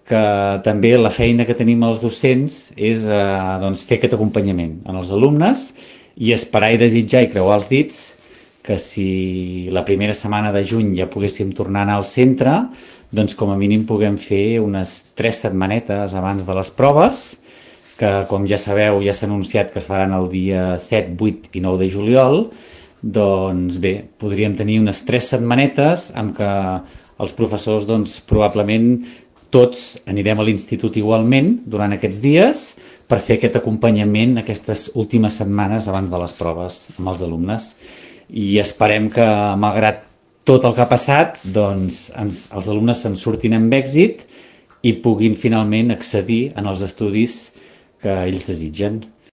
que també la feina que tenim els docents és doncs, fer aquest acompanyament en els alumnes i esperar i desitjar i creuar els dits que si la primera setmana de juny ja poguéssim tornar a anar al centre, doncs com a mínim puguem fer unes 3 setmanetes abans de les proves, que com ja sabeu ja s'ha anunciat que es faran el dia 7, 8 i 9 de juliol, doncs bé, podríem tenir unes 3 setmanetes en què els professors doncs, probablement tots anirem a l'institut igualment durant aquests dies per fer aquest acompanyament aquestes últimes setmanes abans de les proves amb els alumnes. I esperem que, malgrat tot el que ha passat, doncs els alumnes se'n surtin amb èxit i puguin finalment accedir en els estudis que ells desitgen.